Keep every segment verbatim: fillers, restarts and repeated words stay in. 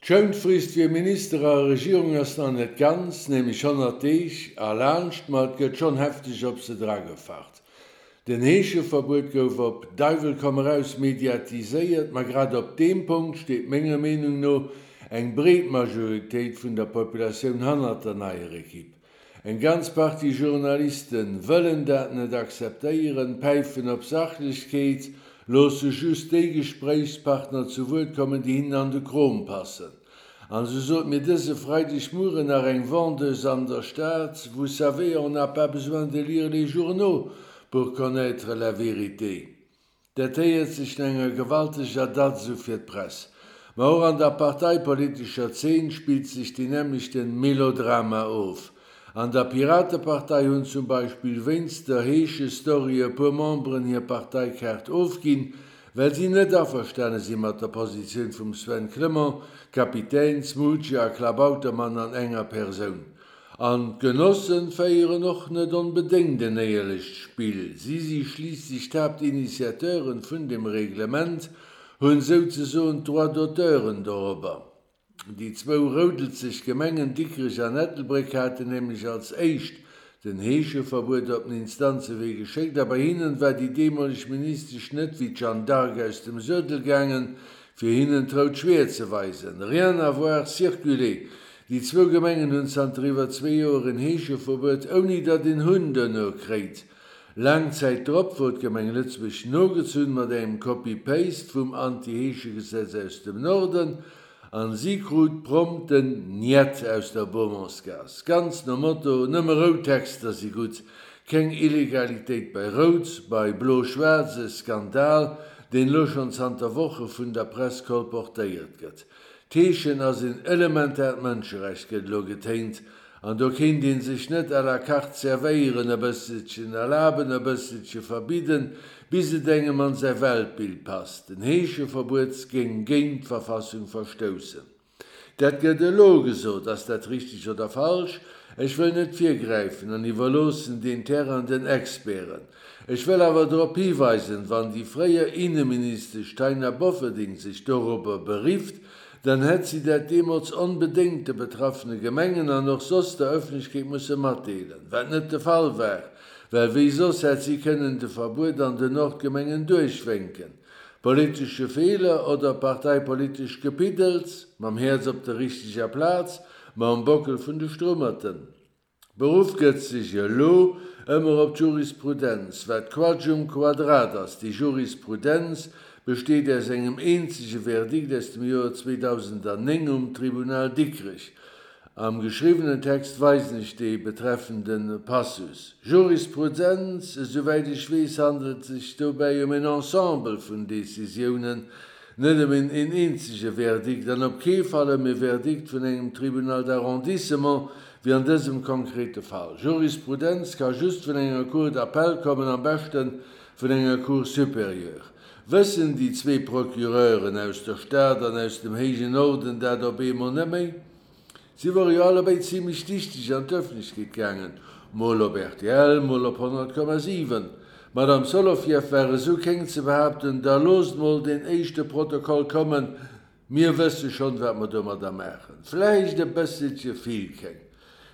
D'Schounfrist fir Minister a Regierung ass nach net ganz, nämlech honnert Deeg, erlaanscht, ma et gëtt schonn hefteg op se dragefacht. Den Heescheverbuet gouf op Deiwel komm eraus mediatiséiert, ma grad op deem Punkt steet menger Meenung no eng breet Majoritéit vun der Populatioun hannert der neier Ekipp. Eng ganz Partie Journalisten wëllen dat net akzeptéieren, päifen op Sachlechkeet, loosse just déi Gespréichspartner zu Wuert kommen, déi hinnen an de Krom passen. An sou sot mir dëse Freidegmueren nach eng Vendeuse an der Stad, Vous savez, on n'a pas besoin de lire les journaux pour connaître la vérité. Dat héiert sech no enger gewalteger Datz u fir d'Press. Ma och an der parteipolitescher Zeen spillt sech deen nämmlechten Melodrama of. An der Piratepartei hunn zum Beispill wéinst der Heesche-Story e puer Memberen hir Parteikaart ofginn, well si net averstane si mat der Positioun vum Sven Clement, Kapitän, Smoocher a Klabautermann an enger Persoun. An d'Genossen féieren och net onbedéngt en éierlecht Spill. Si si schliisslech d'Haaptinitiateuren vun dem Reglement, hunn souzesoen d'Droits d'auteuren dorobber. Déi zwou roudelzeg Gemengen Dikrech an Ettelbréck haten nämlech als éischt den Heescheverbuet op den Instanzewee geschéckt a bei hinnen war déi deemoleg Ministesch net wéi d'Jeanne d'Arc aus dem Suedel gaangen, fir hinnen d'rout Schwiert ze weisen. Rien à voir, circulez! Déi zwou Gemengen hunn zanter iwwer zwee Joer en Heescheverbuet, ouni datt een Hunn duerno kréit. Laang Zäit drop wor d'Gemeng Lëtzebuerg nogezunn mat engem Copy-Paste vum Anti-Heeschegesetz aus dem Norden, an si krut prompt den Njet aus der Beaumontsgaass. Ganz nom Motto, Nëmme rout Texter si gutt, keng Illegalitéit bei Rout, bei Blo-Schwaarz e Skandal, deen elo schonn zanter Woche vun der Press kolportéiert gëtt. D'Heeschen ass en elementaart Mënscherecht, gëtt elo getéint, an do kéint ee sech net à la carte servéieren, e bësselchen erlaben, e bësselche verbidden, bis et engem an säi Weltbild passt. Den Heescheverbuet géing géint d'Verfassung verstoussen. Dat gëtt elo gesot. Ass dat richteg oder falsch? Ech wëll net virgräifen an iwwerloossen deen Terrain den Experten. Ech wëll awer drop hiweisen, wann déi fréier Inneministesch Taina Bofferding sech dorobber berifft, dann hätt si dat deemools onbedéngt de betraffene Gemengen an och soss der Ëffentlechkeet musse matdeelen, wat net de Fall war, well wéi soss hätt si kënnen de Verbuet an den Nordgemengen duerchwénken. Politesche Feeler oder parteipolitescht Gepiddels? Mam Häerz op der richteger Plaz, ma um Bockel vun de Strummerten. Beruff gëtt sech elo ëmmer op d'Jurisprudenz, wat Quatsch um Quadrat ass. Déi Jurisprudenz besteet aus engem eenzege Verdikt aus dem Joer zweedausendenneng um Tribunal Dikrech. Am geschriwwenen Text weisen ech dee betreffende Passus. Jurisprudenz, esouwäit ech weess, handelt sech dobäi ëm en Ensemble vun Décisiounen, net ëm een eenzege Verdikt an op kee Fall ëm e Verdikt vun engem Tribunal d'arrondissement, wéi an dësem konkrete Fall. Jurisprudenz ka just vun enger Cour d'appel kommen, am beschte vun enger Cour supérieure. Wëssen déi zwee Procureuren aus der Stad an aus dem héijen Norden dat op eemol net méi? Si wore jo allebéid zimlech dichteg an d'Ëffentlechkeet gaangen, mol op rtl, mol op honnert Komma siwen. D'Madame Solovieff war esou kéng ze behaapten, Da loosst mol deen éischte Protokoll kommen, mir wësse schonn, wat mer domadder maachen. Vläicht e bësselche vill kéng.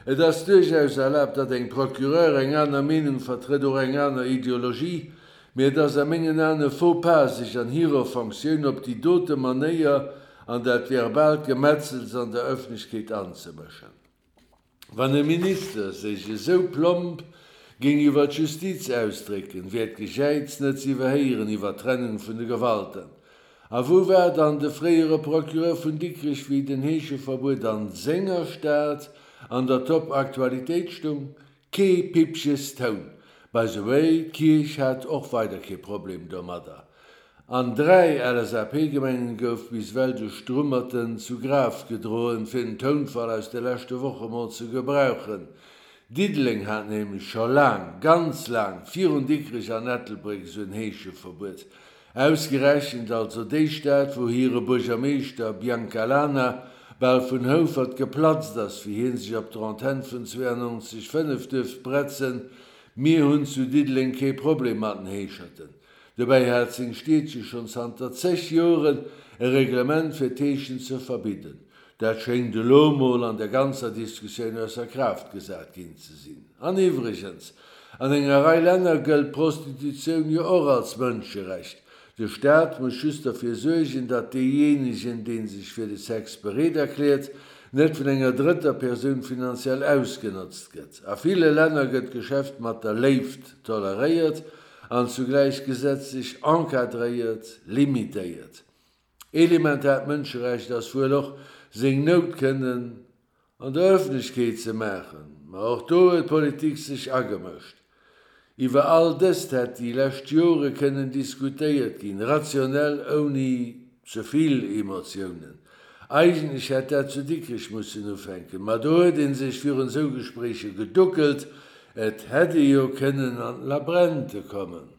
Et ass duerchaus erlaabt, datt eng Procureur eng aner Meenung vertrëtt, och eng aner Ideologie, mee et ass a mengen Aen e Faux pas, sech an hirer Fonctioun op déi dote Manéier an dat verbaalt Gemetzels an der Ëffentlechkeet anzemëschen. Wann e Minister sech esou plomp géing iwwer d'Justiz ausdrécken, wär d'Gejäiz net z'iwwerhéieren iwwer d'Trennung vun de Gewalten. A wou war dann de fréiere Procureur vun Dikrech, wéi den Heescheverbuet an senger Stad an der Top-Aktualitéit stung? Kee Pippches Toun. By the way, d'Kierch hat och weider kee Problem domadder. An dräi L S A P-Gemengen gouf bis ewell de Strummerten zu Graf gedroen, fir den Tounfall aus de leschte Woche mol ze gebrauchen. Diddeleng hat nämlech scho laang, ganz laang virun Dikrech an Ettelbréck esou en Heescheverbuet. Ausgerechent also déi Stad, wou hire Buergermeeschter Biancalana bal vun Houfert geplatzt ass, wéi hie sech op der Antenn vun zwouanonzeg fënnef duerft bretzen, Mir hunn zu Diddeleng kee Problem mat den Heescherten. Dobäi hat seng Stiedche schonn zanter zeg Joren e Reglement fir d'Heeschen ze verbidden. Dat schéngt elo mol an der ganzer Diskussioun ausser Kraaft gesat ginn ze sinn. An iwwregens, an enger Rei Länner gëllt d'Prostitutioun jo och als Mënscherecht. De Staat muss just derfir suergen, datt deejéinegen, dee sech fir de Sex bereet erkläert, net vun enger drëtter Persoun finanziell ausgenotzt gëtt. A ville Länner gëtt d'Geschäft mat der Léift toleréiert an zugläich gesetzlech encadréiert, limitéiert. Elementaart Mënscherecht ass wuel och, seng Nout kënnen an der Ëffentlechkeet ze maachen. Ma och do huet d'Politik sech agemëscht. Iwwer all dëst hätt déi lescht Jore kënnen diskutéiert ginn, rationell, ouni ze vill Emotiounen. Eigentlech hätt dat zu Dikrech mussen ufänken, ma do huet ee sech virun esou Gespréicher geduckelt, et hätt ee jo kënnen an d'Labrente kommen.